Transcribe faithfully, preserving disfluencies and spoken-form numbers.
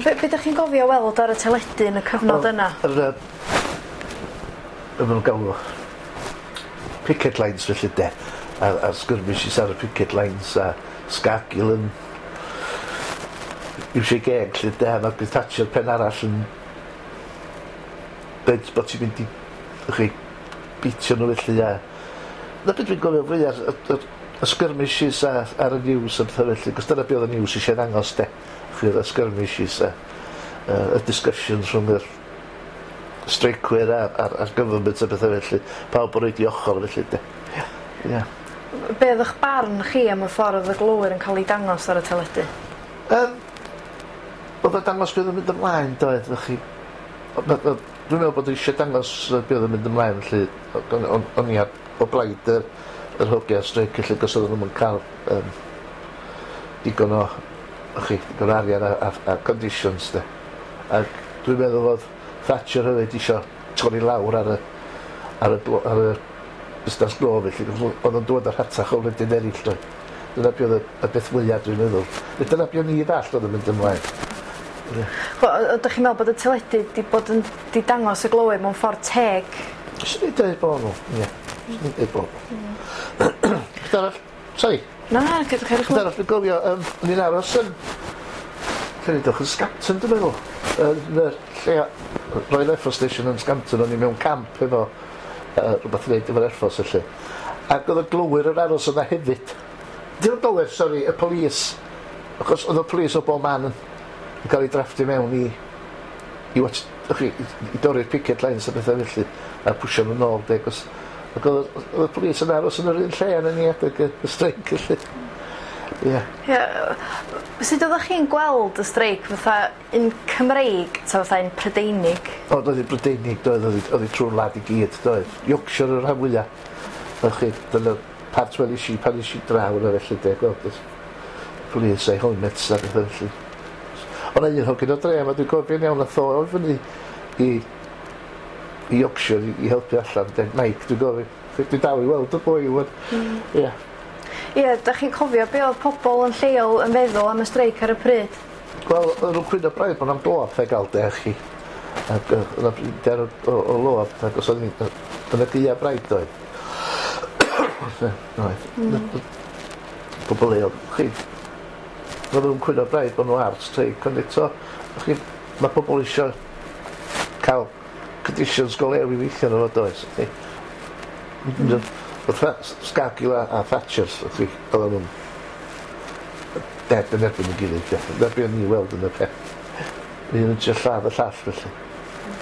Be, be ydych chi'n gofio weld ar y teledu yn y cyfnod yna? Yr, yy, be maen nhw'n galw picket lines felly de. A, a skirmishes ar y picket lines a Scargill yn iwsio geg lle de, a Margaret Thatcher pen arall yn dweud bod ti'n mynd i chi beatio nhw felly a na beth dwi'n gofio fwyaf y, y, y skirmishes a, ar y news a pethau felly, cos dyna be oedd y news eisiau ddangos de, chi y skirmishes a uh, y discussions rhwng yr streicwyr a'r, a'r, a'r government a pethau felly, pawb yn rhoid i ochr felly de. Ie. Yeah. Be oedd eich barn chi am y ffordd oedd y glowyr yn cael ei dangos ar y teledu? Um, oedd o'n dangos beth oedd yn mynd ymlaen, doedd, chi. Dwi'n meddwl bod eisiau dangos beth oedd yn mynd ymlaen, felly o'n, o'n i ar, o blaid yr, yr hogia streic, felly, cos oedden nhw'n cael um, digon o, chi, digon o arian a, a, a conditions, de. Ac dwi'n meddwl fod Thatcher hefyd eisiau torri lawr ar y, ar y, ar y busnes glo, felly, oedd o'n dod ar rhatach o wledydd eraill, doedd. Dyna be oedd y, y beth fwyaf dwi'n meddwl. Dyna be o'n i ddallt oedd yn mynd ymlaen. Ydych chi'n meddwl bod y teledu di bod yn di dangos y glowyr mewn ffordd teg? Swn i'n dweud bod nhw, ie. Swn i'n dweud bod nhw. Beth arall? Sorry. Na, na, gyda chi. Beth arall dwi'n gofio, um, o'n i'n aros yn... Lle yn Scampton, dwi'n meddwl. Yn y lle Royal Air Force Station yn Scampton, o'n i mewn camp efo uh, rhywbeth i wneud efo'r Air Force felly. Ac oedd y glowyr yn aros yna hefyd. Dim y glowyr, sori, y police. Achos oedd y police o bob man yn, yn cael ei drafftio mewn i i, watch, chi, i, i dorri'r picket lines a bethau felly a pwsio nhw nôl de, cos ac oedd oedd y police yn aros yn yr un lle yn ni adeg y, y streic felly. Ie. Ie. Sut oeddech chi'n gweld y streic, fatha un Cymreig ta fatha un Prydeinig? O, doedd hi Brydeinig, doedd, oedd hi- oedd hi trwy'r wlad i gyd, doedd. Yorkshire yr rhan fwyaf. Oedd chi, dyna part welis i pan es i draw yna felly, de, gweld y police a'i helmets a bethau felly. Ond un hogyn o dre, ma dwi'n gofio'n iawn, nath o o fyny i, i Yorkshire i, i helpu allan, de, Mike, dwi'n gofio. Dwi'n dal i weld y boi, wan. Ie. Ie, dach chi'n cofio be oedd pobl yn lleol yn feddwl am y streic ar y pryd? Wel, oedden nhw'n cwyno braidd bod na'm glo a gael de, chi. Ac yy, oedd 'na brinder o, o, o lo, ac os oedd ni, yn y gaea braidd doedd. Oedd. Pobl leol, chi. Oedden nhw'n cwyno braidd bod nhw ar streic, ond eto, chi, mae pobl eisiau cael conditions go lew i weithio nhw, does? Chi. Mm. Oedd Scargill a, a Thatcher, chi, oedden nhw'n dead yn erbyn y gilydd, de. Dyna be o'n i weld yn y peth. Un yn trio lladd y llall, felly.